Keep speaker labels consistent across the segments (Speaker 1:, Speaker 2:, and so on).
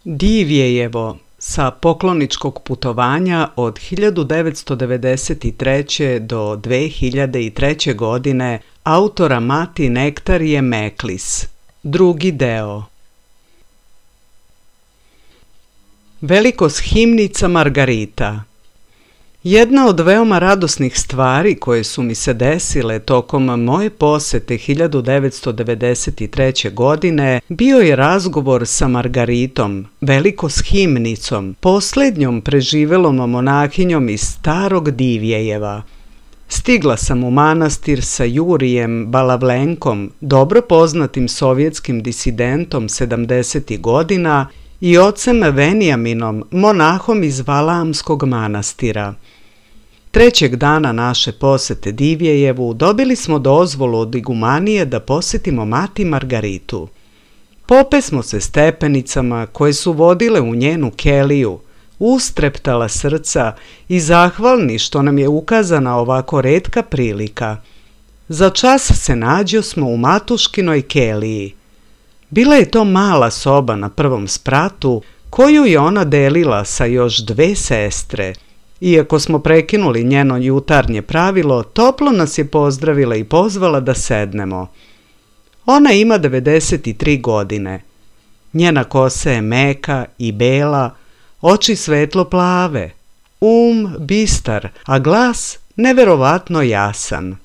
Speaker 1: Divjejevo sa pokloničkog putovanja od 1993. do 2003. godine autora Mati Nektarije Meklis. Drugi deo. Velikos-himnica Margarita. Jedna od veoma radosnih stvari koje su mi se desile tokom moje posete 1993. godine bio je razgovor sa Margaritom, velikos-himnicom, posljednjom preživelom monahinjom iz starog Divjejeva. Stigla sam u manastir sa Jurijem Balavlenkom, dobro poznatim sovjetskim disidentom 70. godina, i ocem Venijaminom, monahom iz Valaamskog manastira. Trećeg dana naše posete Divjejevu dobili smo dozvolu od igumanije da posjetimo Mati Margaritu. Pope smo se stepenicama koje su vodile u njenu keliju, ustreptala srca i zahvalni što nam je ukazana ovako retka prilika. Za čas se nađo smo u Matuškinoj keliji. Bila je to mala soba na prvom spratu koju je ona delila sa još dve sestre. Iako smo prekinuli njeno jutarnje pravilo, toplo nas je pozdravila i pozvala da sednemo. Ona ima 93 godine. Njena kosa je meka i bela, oči svetlo plave, bistar, a glas neverovatno jasan.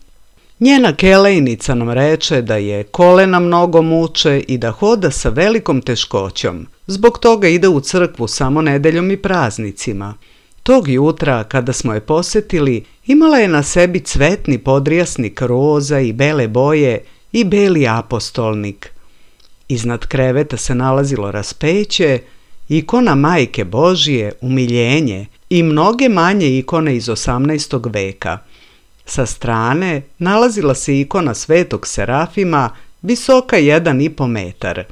Speaker 1: Njena kelejnica nam reče da je kolena mnogo muče i da hoda sa velikom teškoćom. Zbog toga ide u crkvu samo nedeljom i praznicima. Tog jutra, kada smo je posjetili, imala je na sebi cvetni podrijasnik roza i bele boje i beli apostolnik. Iznad kreveta se nalazilo raspeće, ikona Majke Božije, umiljenje i mnoge manje ikone iz 18. veka. Sa strane nalazila se ikona Svetog Serafima, visoka 1,5 metar.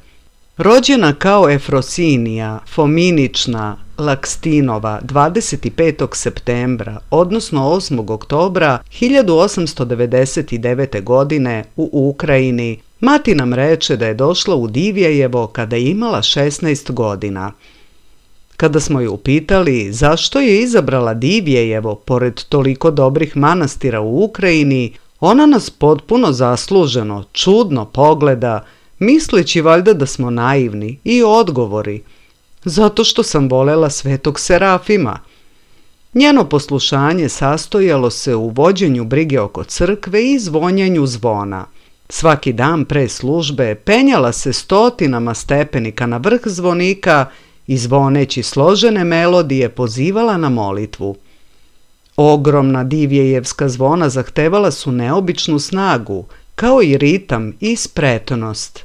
Speaker 1: Rođena kao Efrosinija, Fominična, Lakstinova 25. septembra, odnosno 8. oktobra 1899. godine u Ukrajini, mati nam reče da je došla u Divjejevo kada je imala 16 godina. Kada smo ju upitali zašto je izabrala Divjejevo pored toliko dobrih manastira u Ukrajini, ona nas potpuno zasluženo, čudno pogleda, misleći valjda da smo naivni, i odgovori: zato što sam volela Svetog Serafima. Njeno poslušanje sastojalo se u vođenju brige oko crkve i zvonjenju zvona. Svaki dan pre službe penjala se stotinama stepenika na vrh zvonika i zvoneći složene melodije pozivala na molitvu. Ogromna divjejevska zvona zahtevala su neobičnu snagu, kao i ritam i spretnost.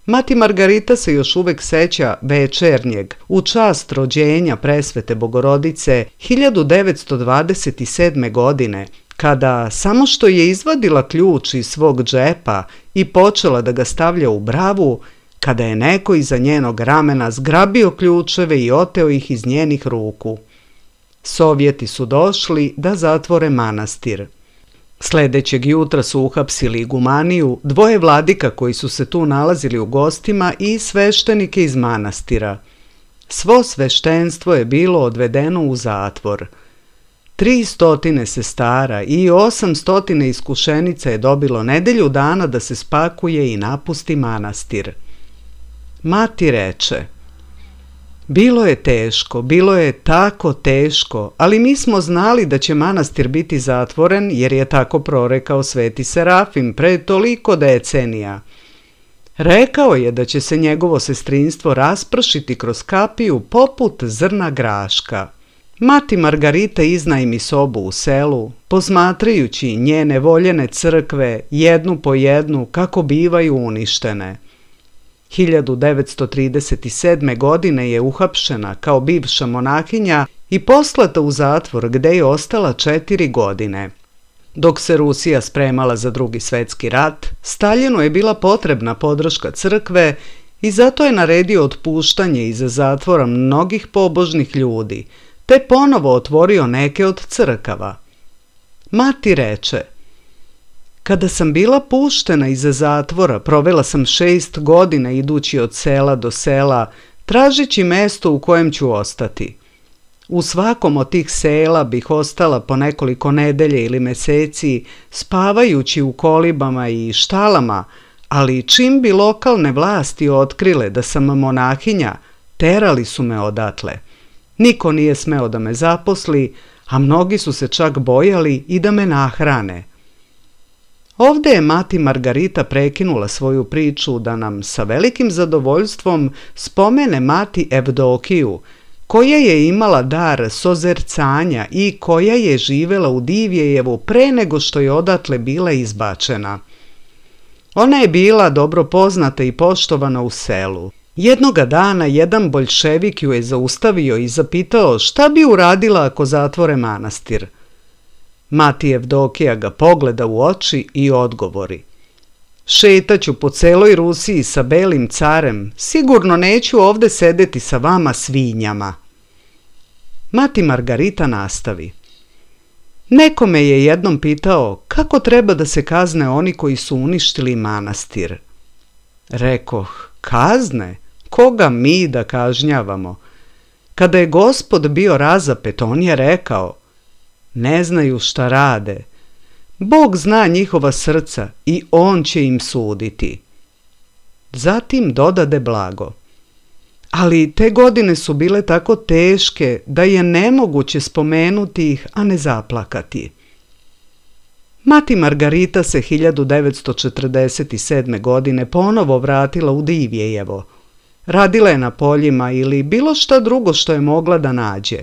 Speaker 1: Mati Margarita se još uvek seća večernjeg u čast rođenja presvete Bogorodice 1927. godine, kada samo što je izvadila ključ iz svog džepa i počela da ga stavlja u bravu, kada je neko iza njenog ramena zgrabio ključeve i oteo ih iz njenih ruku. Sovjeti su došli da zatvore manastir. Sledećeg jutra su uhapsili igumaniju, 2 vladika koji su se tu nalazili u gostima i sveštenike iz manastira. Svo sveštenstvo je bilo odvedeno u zatvor. 300 sestara i 800 iskušenica je dobilo nedelju dana da se spakuje i napusti manastir. Mati reče: bilo je teško, bilo je tako teško, ali mi smo znali da će manastir biti zatvoren jer je tako prorekao Sveti Serafim pre toliko decenija. Rekao je da će se njegovo sestrinstvo raspršiti kroz kapiju poput zrna graška. Mati Margarita iznajmi sobu u selu, posmatrajući njene voljene crkve jednu po jednu kako bivaju uništene. 1937. godine je uhapšena kao bivša monahinja i poslata u zatvor gde je ostala 4 godine. Dok se Rusija spremala za Drugi svetski rat, Staljinu je bila potrebna podrška crkve i zato je naredio otpuštanje iz zatvora mnogih pobožnih ljudi, te ponovo otvorio neke od crkava. Mati reče: kada sam bila puštena iz zatvora, provela sam 6 godina idući od sela do sela, tražeći mesto u kojem ću ostati. U svakom od tih sela bih ostala po nekoliko nedelje ili meseci, spavajući u kolibama i štalama, ali čim bi lokalne vlasti otkrile da sam monahinja, terali su me odatle. Niko nije smeo da me zaposli, a mnogi su se čak bojali i da me nahrane. Ovde je mati Margarita prekinula svoju priču da nam sa velikim zadovoljstvom spomene mati Evdokiju, koja je imala dar sozercanja i koja je živela u Divjejevu pre nego što je odatle bila izbačena. Ona je bila dobro poznata i poštovana u selu. Jednoga dana jedan boljševik ju je zaustavio i zapitao šta bi uradila ako zatvore manastir. Mati Evdokija ga pogleda u oči i odgovori: šetaću po celoj Rusiji sa belim carem, sigurno neću ovde sedeti sa vama svinjama. Mati Margarita nastavi: neko me je jednom pitao kako treba da se kazne oni koji su uništili manastir. Rekoh: kazne? Koga mi da kažnjavamo? Kada je Gospod bio razapet, on je rekao: ne znaju šta rade. Bog zna njihova srca i on će im suditi. Zatim dodade blago: ali te godine su bile tako teške da je nemoguće spomenuti ih, a ne zaplakati. Mati Margarita se 1947. godine ponovo vratila u Divjejevo. Radila je na poljima ili bilo šta drugo što je mogla da nađe.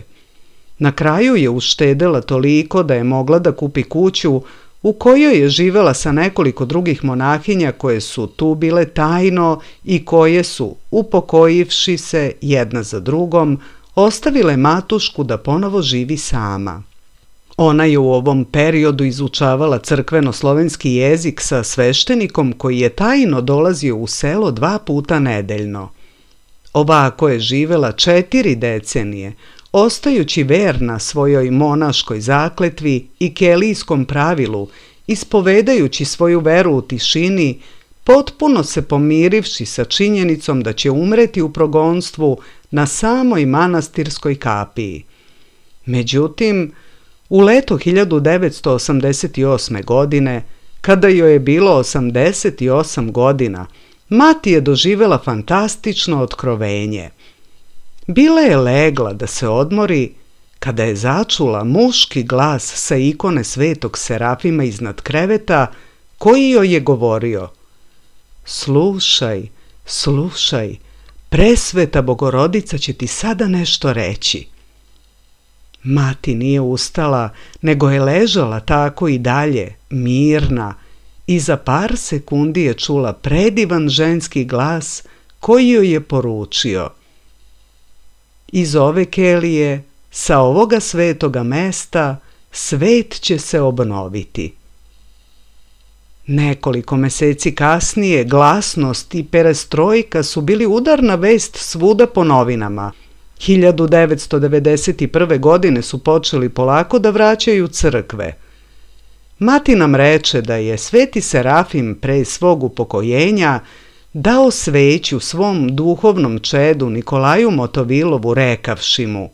Speaker 1: Na kraju je uštedela toliko da je mogla da kupi kuću u kojoj je živela sa nekoliko drugih monahinja koje su tu bile tajno i koje su, upokojivši se jedna za drugom, ostavile matušku da ponovo živi sama. Ona je u ovom periodu izučavala crkveno-slovenski jezik sa sveštenikom koji je tajno dolazio u selo 2 puta nedeljno. Ovako je živela 4 decenije, ostajući verna svojoj monaškoj zakletvi i kelijskom pravilu, ispovedajući svoju veru u tišini, potpuno se pomirivši sa činjenicom da će umreti u progonstvu na samoj manastirskoj kapiji. Međutim, u leto 1988. godine, kada joj je bilo 88 godina, mati je doživjela fantastično otkrovenje. Bila je legla da se odmori kada je začula muški glas sa ikone Svetog Serafima iznad kreveta koji joj je govorio: "Slušaj, slušaj, presveta Bogorodica će ti sada nešto reći." Mati nije ustala, nego je ležala tako i dalje, mirna, i za par sekundi je čula predivan ženski glas koji joj je poručio: "Iz ove kelije, sa ovoga svetoga mesta, svet će se obnoviti." Nekoliko meseci kasnije glasnost i perestrojka su bili udarna vest svuda po novinama. 1991. godine su počeli polako da vraćaju crkve. Mati nam reče da je Sveti Serafim pre svog upokojenja dao sveću svom duhovnom čedu Nikolaju Motovilovu rekavši mu: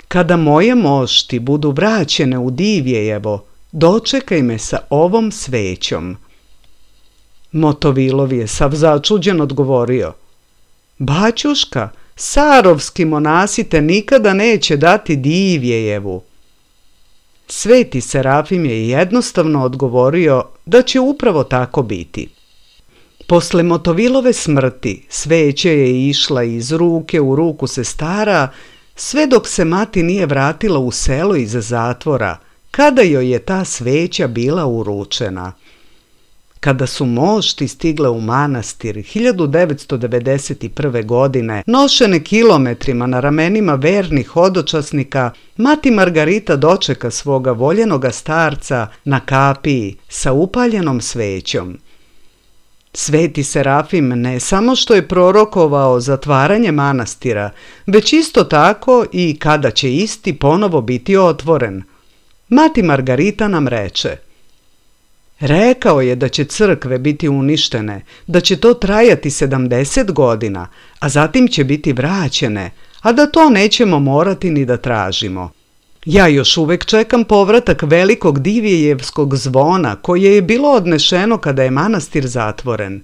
Speaker 1: "Kada moje mošti budu vraćene u Divjejevo, dočekaj me sa ovom svećom." Motovilov je sav začuđen odgovorio: "Baćuška, sarovski monasi te nikada neće dati Divjejevu." Sveti Serafim je jednostavno odgovorio da će upravo tako biti. Posle Motovilove smrti sveća je išla iz ruke u ruku sestara, sve dok se mati nije vratila u selo iza zatvora, kada joj je ta sveća bila uručena. Kada su mošti stigle u manastir 1991. godine, nošene kilometrima na ramenima vernih hodočasnika, mati Margarita dočeka svoga voljenoga starca na kapiji sa upaljenom svećom. Sveti Serafim ne samo što je prorokovao zatvaranje manastira, već isto tako i kada će isti ponovo biti otvoren. Mati Margarita nam reče: "Rekao je da će crkve biti uništene, da će to trajati 70 godina, a zatim će biti vraćene, a da to nećemo morati ni da tražimo. Ja još uvek čekam povratak velikog Divjejevskog zvona koje je bilo odnešeno kada je manastir zatvoren."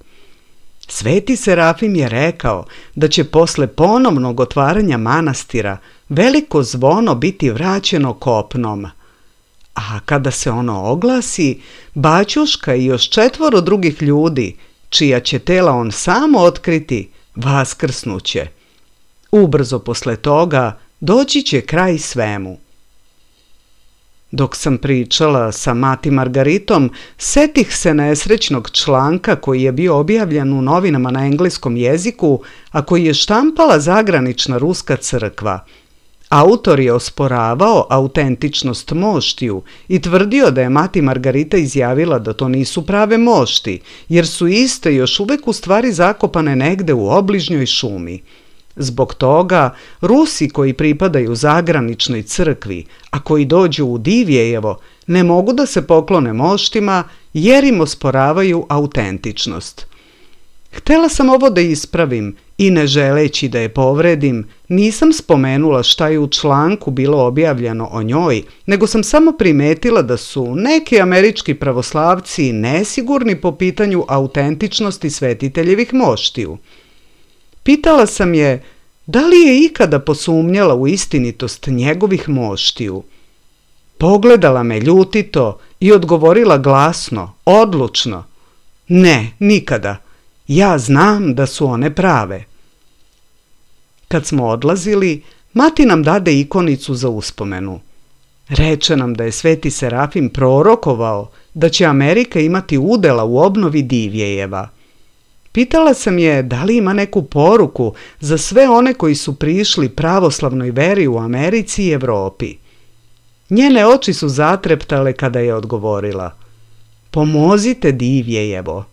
Speaker 1: Sveti Serafim je rekao da će posle ponovnog otvaranja manastira veliko zvono biti vraćeno kopnom. A kada se ono oglasi, baćuška i još 4 drugih ljudi, čija će tela on samo otkriti, vaskrsnuće. Ubrzo posle toga doći će kraj svemu. Dok sam pričala sa mati Margaritom, setih se nesrećnog članka koji je bio objavljen u novinama na engleskom jeziku, a koji je štampala zagranična ruska crkva. Autor je osporavao autentičnost moštiju i tvrdio da je mati Margarita izjavila da to nisu prave mošti, jer su iste još uvek u stvari zakopane negde u obližnjoj šumi. Zbog toga, Rusi koji pripadaju zagraničnoj crkvi, a koji dođu u Divjejevo, ne mogu da se poklone moštima jer im osporavaju autentičnost. Htela sam ovo da ispravim i ne želeći da je povredim, nisam spomenula šta je u članku bilo objavljeno o njoj, nego sam samo primetila da su neki američki pravoslavci nesigurni po pitanju autentičnosti svetiteljevih moštiju. Pitala sam je da li je ikada posumnjala u istinitost njegovih moštiju. Pogledala me ljutito i odgovorila glasno, odlučno: "Ne, nikada. Ja znam da su one prave." Kad smo odlazili, mati nam dade ikonicu za uspomenu. Reče nam da je Sveti Serafim prorokovao da će Amerika imati udjela u obnovi Divjejeva. Pitala sam je da li ima neku poruku za sve one koji su prišli pravoslavnoj veri u Americi i Europi. Njene oči su zatreptale kada je odgovorila: pomozite Divjejevo.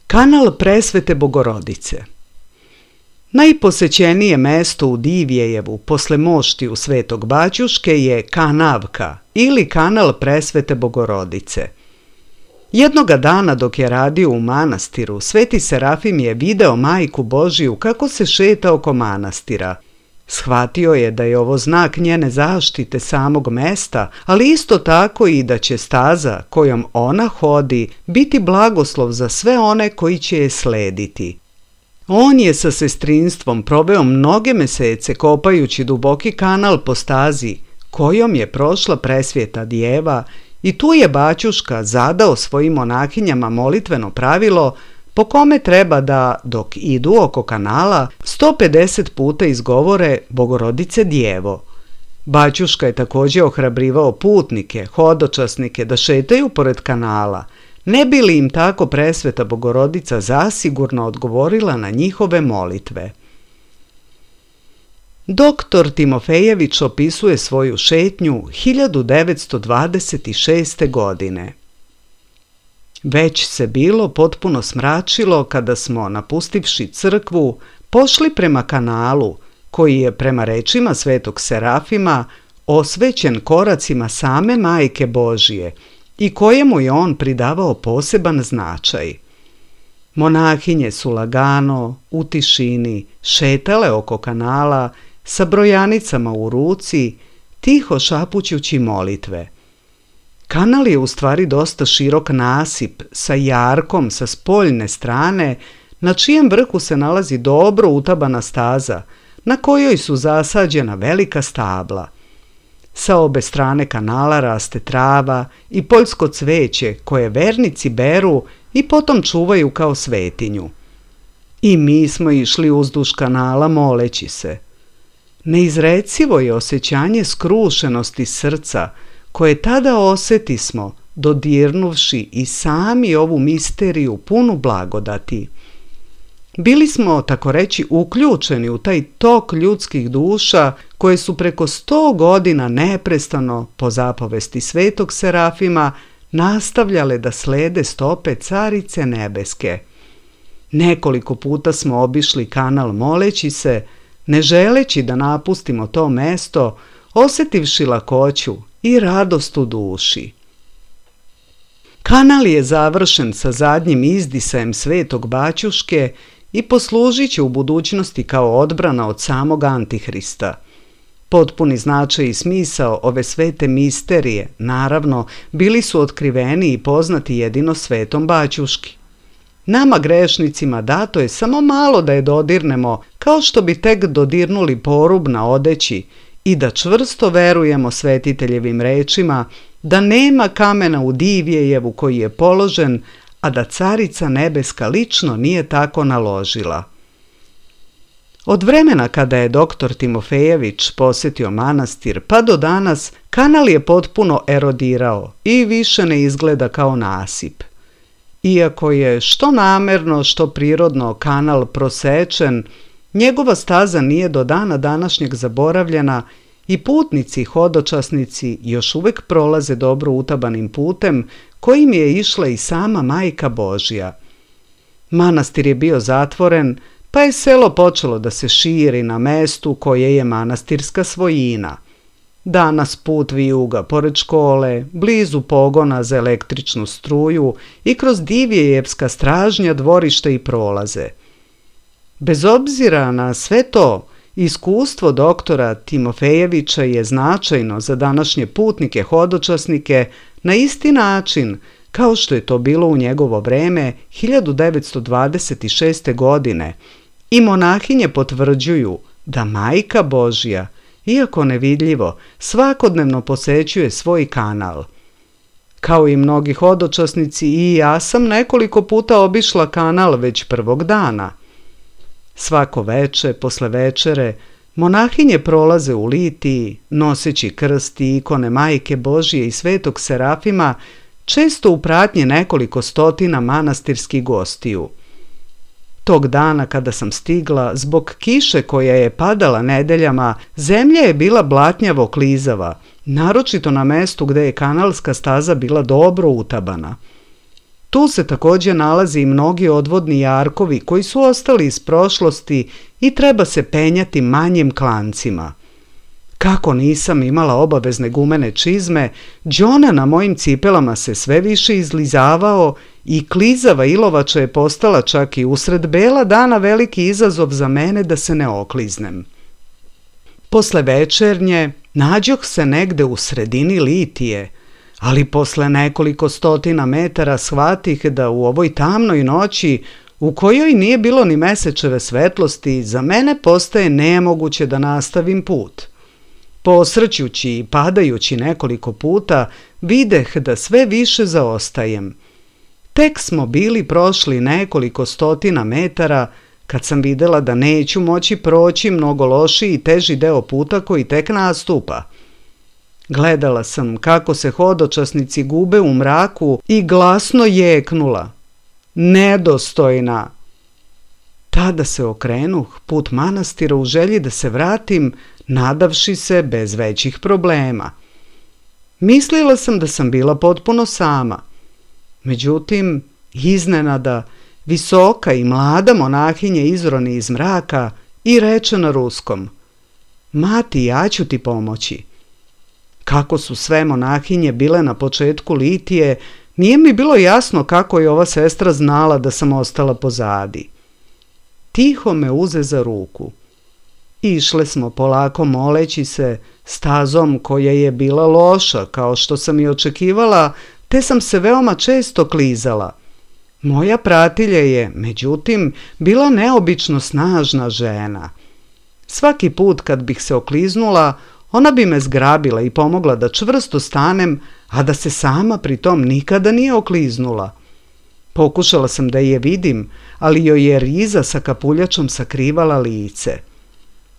Speaker 1: Kanal Presvete Bogorodice. Najposećenije mesto u Divjejevu posle moštiju Svetog Baćuške je Kanavka ili kanal Presvete Bogorodice. Jednoga dana dok je radio u manastiru, Sveti Serafim je video Majku Božiju kako se šeta oko manastira. Shvatio je da je ovo znak njene zaštite samog mesta, ali isto tako i da će staza kojom ona hodi biti blagoslov za sve one koji će je slediti. On je sa sestrinstvom proveo mnoge mesece kopajući duboki kanal po stazi kojom je prošla Presvjeta Djeva i tu je Baćuška zadao svojim monahinjama molitveno pravilo po kome treba da, dok idu oko kanala, 150 puta izgovore Bogorodice Djevo. Baćuška je također ohrabrivao putnike, hodočasnike da šetaju pored kanala, ne bi li im tako Presveta Bogorodica zasigurno odgovorila na njihove molitve. Doktor Timofejević opisuje svoju šetnju 1926. godine. Već se bilo potpuno smračilo kada smo, napustivši crkvu, pošli prema kanalu, koji je prema rečima Svetog Serafima osvećen koracima same Majke Božije i kojemu je on pridavao poseban značaj. Monahinje su lagano, u tišini, šetale oko kanala sa brojanicama u ruci, tiho šapućući molitve. Kanal je u stvari dosta širok nasip sa jarkom sa spoljne strane, na čijem vrhu se nalazi dobro utabana staza, na kojoj su zasađena velika stabla. Sa obe strane kanala raste trava i poljsko cveće koje vernici beru i potom čuvaju kao svetinju. I mi smo išli uzduž kanala moleći se. Neizrecivo je osjećanje skrušenosti srca koje tada osjetismo dodirnuvši i sami ovu misteriju punu blagodati. Bili smo, tako reći, uključeni u taj tok ljudskih duša koje su preko 100 godina neprestano, po zapovesti Svetog Serafima, nastavljale da slede stope Carice Nebeske. Nekoliko puta smo obišli kanal moleći se, ne želeći da napustimo to mesto, osjetivši lakoću i radost u duši. Kanal je završen sa zadnjim izdisajem Svetog Baćuške i poslužit će u budućnosti kao odbrana od samog Antihrista. Potpuni značaj i smisao ove svete misterije, naravno, bili su otkriveni i poznati jedino Svetom Baćuški. Nama grešnicima dato je samo malo da je dodirnemo, kao što bi tek dodirnuli porub na odeći, i da čvrsto verujemo svetiteljevim rečima da nema kamena u Divjejevu koji je položen, a da Carica Nebeska lično nije tako naložila. Od vremena kada je doktor Timofejević posjetio manastir pa do danas, kanal je potpuno erodirao i više ne izgleda kao nasip. Iako je što namerno, što prirodno kanal prosečen, njegova staza nije do dana današnjeg zaboravljena i putnici i hodočasnici još uvijek prolaze dobro utabanim putem kojim je išla i sama Majka Božja. Manastir je bio zatvoren, pa je selo počelo da se širi na mestu koje je manastirska svojina. Danas put vijuga pored škole, blizu pogona za električnu struju i kroz Divjejevska stražnja, dvorišta i prolaze. Bez obzira na sve to, iskustvo doktora Timofejevića je značajno za današnje putnike hodočasnike na isti način kao što je to bilo u njegovo vreme 1926. godine i monahinje potvrđuju da Majka Božja, iako nevidljivo, svakodnevno posećuje svoj kanal. Kao i mnogi hodočasnici i ja sam nekoliko puta obišla kanal već prvog dana. Svako veče, posle večere, Monahinje prolaze u litiji, noseći krst i ikone Majke Božije i Svetog Serafima, često u pratnji nekoliko stotina manastirskih gostiju. Tog dana kada sam stigla, zbog kiše koja je padala nedeljama, zemlja je bila blatnjavo klizava, naročito na mestu gde je kanalska staza bila dobro utabana. Tu se također nalazi i mnogi odvodni jarkovi koji su ostali iz prošlosti i treba se penjati manjim klancima. Kako nisam imala obavezne gumene čizme, đona na mojim cipelama se sve više izlizavao i klizava ilovača je postala čak i usred bela dana veliki izazov za mene da se ne okliznem. Posle večernje nađoh se negde u sredini litije, ali posle nekoliko stotina metara shvatih da u ovoj tamnoj noći, u kojoj nije bilo ni mesečeve svetlosti, za mene postaje nemoguće da nastavim put. Posrćući i padajući nekoliko puta, videh da sve više zaostajem. Tek smo bili prošli nekoliko stotina metara, kad sam videla da neću moći proći mnogo lošiji i teži deo puta koji tek nastupa. Gledala sam kako se hodočasnici gube u mraku i glasno jeknula. Nedostojna! Tada se okrenuh put manastira u želji da se vratim, nadavši se bez većih problema. Mislila sam da sam bila potpuno sama. Međutim, iznenada, visoka i mlada monahinja izroni iz mraka i reče na ruskom: "Mati, ja ću ti pomoći." Kako su sve monahinje bile na početku litije, nije mi bilo jasno kako je ova sestra znala da sam ostala pozadi. Tiho me uze za ruku. Išle smo polako moleći se, stazom koja je bila loša, kao što sam i očekivala, te sam se veoma često klizala. Moja pratilja je, međutim, bila neobično snažna žena. Svaki put kad bih se okliznula, ona bi me zgrabila i pomogla da čvrsto stanem, a da se sama pritom nikada nije okliznula. Pokušala sam da je vidim, ali joj je riza sa kapuljačom sakrivala lice.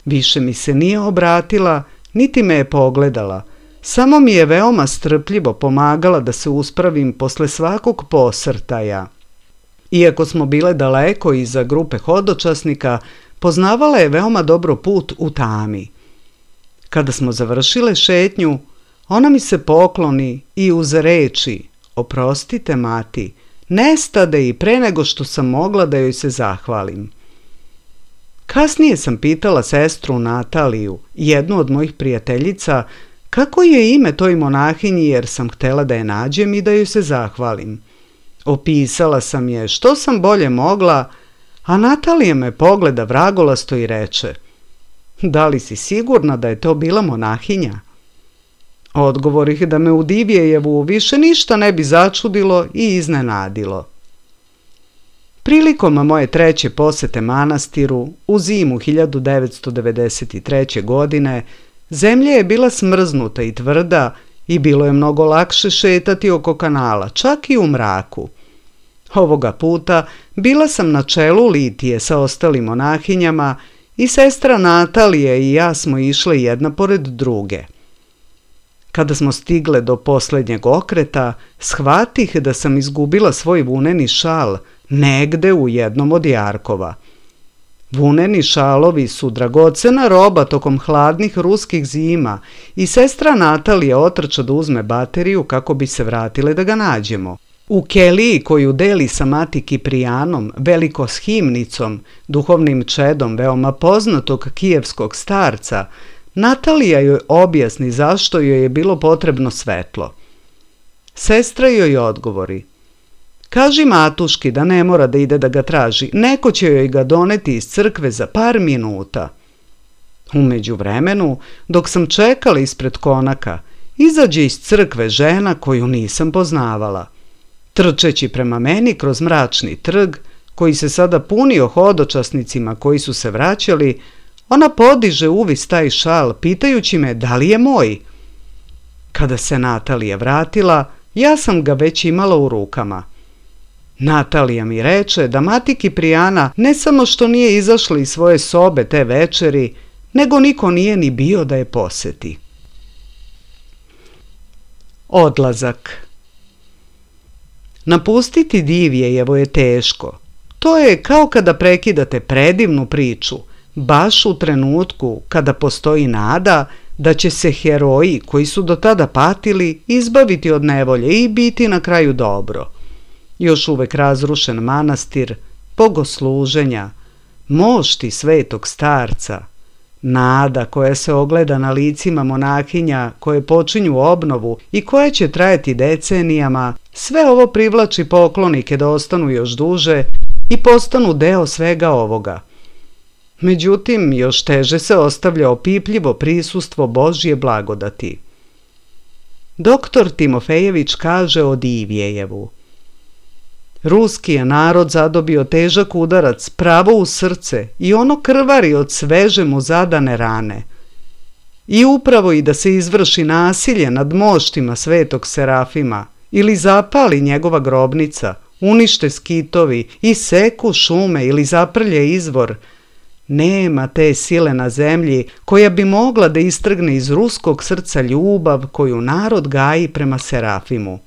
Speaker 1: Više mi se nije obratila, niti me je pogledala. Samo mi je veoma strpljivo pomagala da se uspravim posle svakog posrtaja. Iako smo bile daleko iza grupe hodočasnika, poznavala je veoma dobro put u tami. Kada smo završile šetnju, ona mi se pokloni i uz reči: "Oprostite, mati", nestade i pre nego što sam mogla da joj se zahvalim. Kasnije sam pitala sestru Nataliju, jednu od mojih prijateljica, kako je ime toj monahinji, jer sam htjela da je nađem i da joj se zahvalim. Opisala sam je što sam bolje mogla, a Natalija me pogleda vragolasto i reče: "Da li si sigurna da je to bila monahinja?" Odgovorih da me u Divjejevu više ništa ne bi začudilo i iznenadilo. Prilikom moje treće posete manastiru, u zimu 1993. godine, zemlja je bila smrznuta i tvrda i bilo je mnogo lakše šetati oko kanala, čak i u mraku. Ovoga puta bila sam na čelu litije sa ostalim monahinjama i sestra Natalija i ja smo išle jedna pored druge. Kada smo stigle do posljednjeg okreta, shvatih da sam izgubila svoj vuneni šal negde u jednom od jarkova. Vuneni šalovi su dragocena roba tokom hladnih ruskih zima i sestra Natalija otrča da uzme bateriju kako bi se vratile da ga nađemo. U keliji koju deli sa mati Kiprijanom, velikoshimnicom, duhovnim čedom veoma poznatog kijevskog starca, Natalija joj objasni zašto joj je bilo potrebno svetlo. Sestra joj odgovori: "Kaži matuški da ne mora da ide da ga traži, neko će joj ga doneti iz crkve za par minuta." U međuvremenu, dok sam čekala ispred konaka, izađe iz crkve žena koju nisam poznavala. Trčeći prema meni kroz mračni trg, koji se sada punio hodočasnicima koji su se vraćali, ona podiže uvis taj šal, pitajući me da li je moj. Kada se Natalija vratila, ja sam ga već imala u rukama. Natalija mi reče da mati Kiprijana ne samo što nije izašla iz svoje sobe te večeri, nego niko nije ni bio da je poseti. Odlazak. Napustiti Divjejevo je teško. To je kao kada prekidate predivnu priču, baš u trenutku kada postoji nada da će se heroji koji su do tada patili izbaviti od nevolje i biti na kraju dobro. Još uvek razrušen manastir, bogosluženja, mošti svetog starca, nada koja se ogleda na licima monahinja koje počinju obnovu i koja će trajati decenijama, sve ovo privlači poklonike da ostanu još duže i postanu deo svega ovoga. Međutim, još teže se ostavlja opipljivo prisustvo Božje blagodati. Doktor Timofejević kaže o Divjejevu: Ruski je narod zadobio težak udarac pravo u srce i ono krvari od sveže mu zadane rane. I upravo i da se izvrši nasilje nad moštima svetog Serafima ili zapali njegova grobnica, unište skitovi i seku šume ili zaprlje izvor, nema te sile na zemlji koja bi mogla da istrgne iz ruskog srca ljubav koju narod gaji prema Serafimu.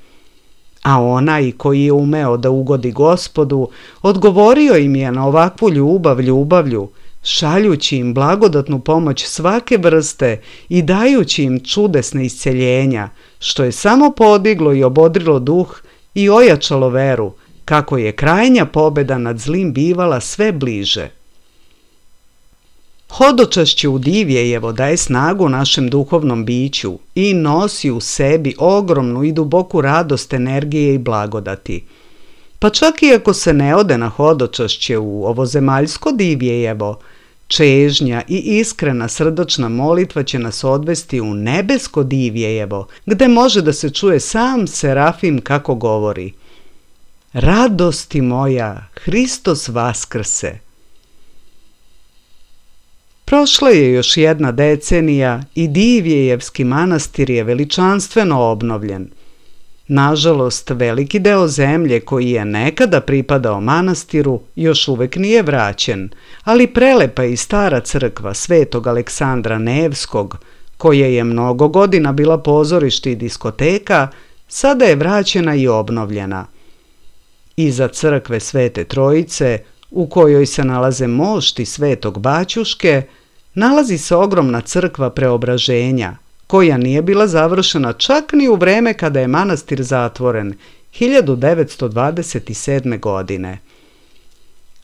Speaker 1: A onaj koji je umeo da ugodi Gospodu, odgovorio im je na ovakvu ljubav ljubavlju, šaljući im blagodatnu pomoć svake vrste i dajući im čudesne isceljenja, što je samo podiglo i obodrilo duh i ojačalo veru, kako je krajnja pobeda nad zlim bivala sve bliže. Hodočašće u Divjejevo daje snagu našem duhovnom biću i nosi u sebi ogromnu i duboku radost energije i blagodati. Pa čak i ako se ne ode na hodočašće u ovozemaljsko Divjejevo, čežnja i iskrena srdačna molitva će nas odvesti u nebesko Divjejevo, gde može da se čuje sam Serafim kako govori: Radosti moja, Hristos vaskrse. Prošla je još jedna decenija i Divjejevski manastir je veličanstveno obnovljen. Nažalost, veliki deo zemlje koji je nekada pripadao manastiru još uvek nije vraćen, ali prelepa i stara crkva svetog Aleksandra Nevskog, koja je mnogo godina bila pozorište i diskoteka, sada je vraćena i obnovljena. Iza crkve Svete Trojice, u kojoj se nalaze mošti svetog Baćuške, nalazi se ogromna crkva Preobraženja, koja nije bila završena čak ni u vreme kada je manastir zatvoren, 1927. godine.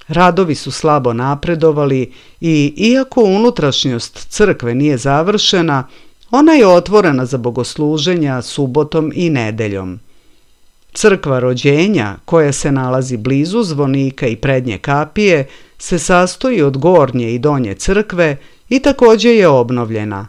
Speaker 1: Radovi su slabo napredovali i, iako unutrašnjost crkve nije završena, ona je otvorena za bogosluženja subotom i nedeljom. Crkva Rođenja, koja se nalazi blizu zvonika i prednje kapije, se sastoji od gornje i donje crkve i također je obnovljena.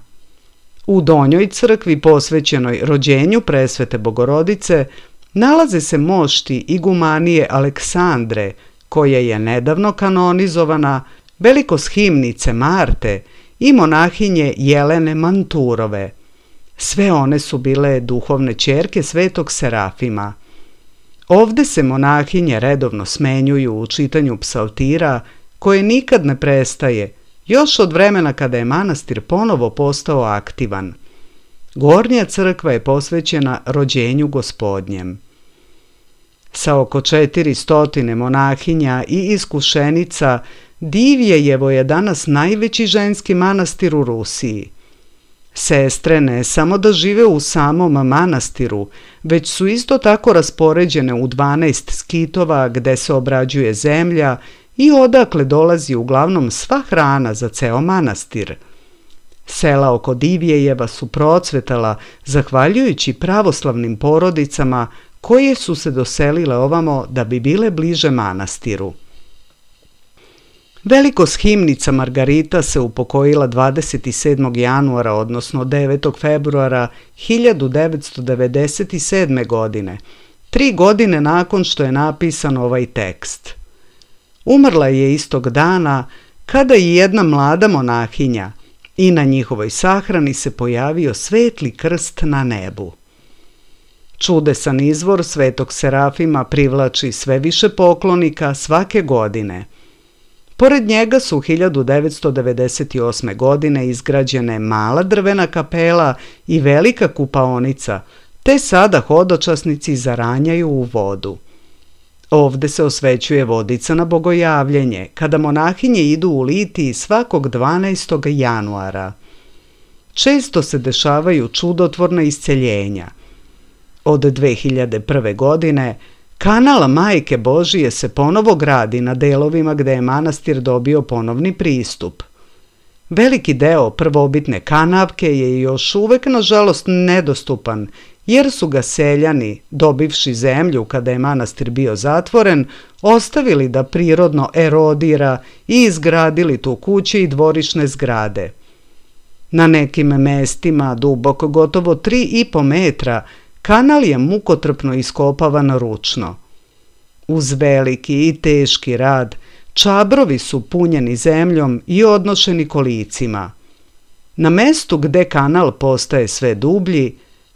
Speaker 1: U donjoj crkvi posvećenoj rođenju Presvete Bogorodice nalaze se mošti igumanije Aleksandre, koja je nedavno kanonizovana, velikoshimnice Marte i monahinje Jelene Manturove. Sve one su bile duhovne ćerke svetog Serafima. Ovde se monahinje redovno smenjuju u čitanju psaltira, koje nikad ne prestaje, još od vremena kada je manastir ponovo postao aktivan. Gornja crkva je posvećena rođenju Gospodnjem. Sa oko 400 monahinja i iskušenica, Divjejevo je danas najveći ženski manastir u Rusiji. Sestre ne samo da žive u samom manastiru, već su isto tako raspoređene u 12 skitova gde se obrađuje zemlja i odakle dolazi uglavnom sva hrana za ceo manastir. Sela oko Divjejeva su procvetala zahvaljujući pravoslavnim porodicama koje su se doselile ovamo da bi bile bliže manastiru. Velikoshimnica Margarita se upokojila 27. januara, odnosno 9. februara 1997. godine, 3 godine nakon što je napisan ovaj tekst. Umrla je istog dana kada i jedna mlada monahinja i na njihovoj sahrani se pojavio svetli krst na nebu. Čudesan izvor svetog Serafima privlači sve više poklonika svake godine. Pored njega su 1998. godine izgrađene mala drvena kapela i velika kupaonica, te sada hodočasnici zaranjaju u vodu. Ovde se osvećuje vodica na bogojavljenje, kada monahinje idu u litiji svakog 12. januara. Često se dešavaju čudotvorna isceljenja. Od 2001. godine kanal Majke Božije se ponovo gradi na delovima gde je manastir dobio ponovni pristup. Veliki deo prvobitne kanavke je još uvek nažalost nedostupan, jer su ga seljani, dobivši zemlju kada je manastir bio zatvoren, ostavili da prirodno erodira i izgradili tu kuće i dvorišne zgrade. Na nekim mestima, dubok gotovo 3,5 metra, kanal je mukotrpno iskopavan ručno. Uz veliki i teški rad, čabrovi su punjeni zemljom i odnošeni kolicima. Na mestu gde kanal postaje sve dublji,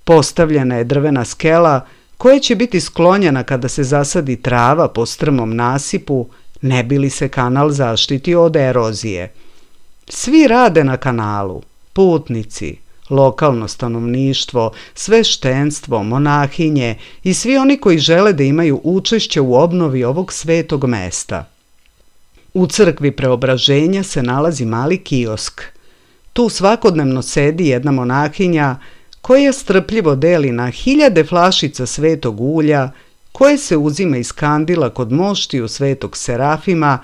Speaker 1: postavljena je drvena skela koja će biti sklonjena kada se zasadi trava po strmom nasipu, ne bi li se kanal zaštitio od erozije. Svi rade na kanalu, putnici, lokalno stanovništvo, sveštenstvo, monahinje i svi oni koji žele da imaju učešće u obnovi ovog svetog mesta. U crkvi Preobraženja se nalazi mali kiosk. Tu svakodnevno sedi jedna monahinja koja strpljivo deli na 1000 flašica svetog ulja koje se uzima iz kandila kod moštiju svetog Serafima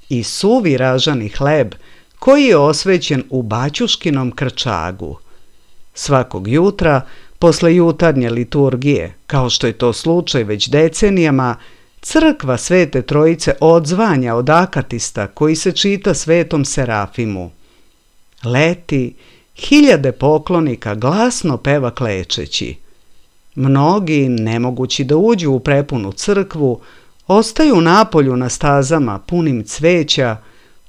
Speaker 1: i suvi ražani hleb koji je osvećen u baćuškinom krčagu. Svakog jutra, posle jutarnje liturgije, kao što je to slučaj već decenijama, crkva Svete Trojice odzvanja od akatista koji se čita svetom Serafimu. Leti, 1000 poklonika glasno peva klečeći. Mnogi, nemogući da uđu u prepunu crkvu, ostaju napolju na stazama punim cveća,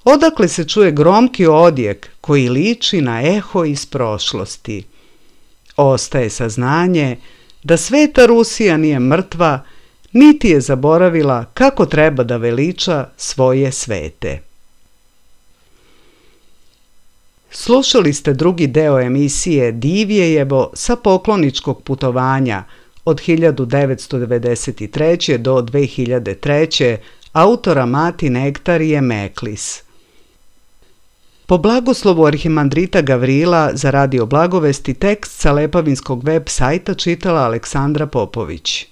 Speaker 1: odakle se čuje gromki odjek koji liči na eho iz prošlosti. Ostaje saznanje da Sveta Rusija nije mrtva, niti je zaboravila kako treba da veliča svoje svete. Slušali ste drugi deo emisije Divjejevo sa pokloničkog putovanja od 1993. do 2003. autora Mati Nektarije Meklis. Po blagoslovu arhimandrita Gavrila za Radio Blagovesti tekst sa Lepavinskog web sajta čitala Aleksandra Popović.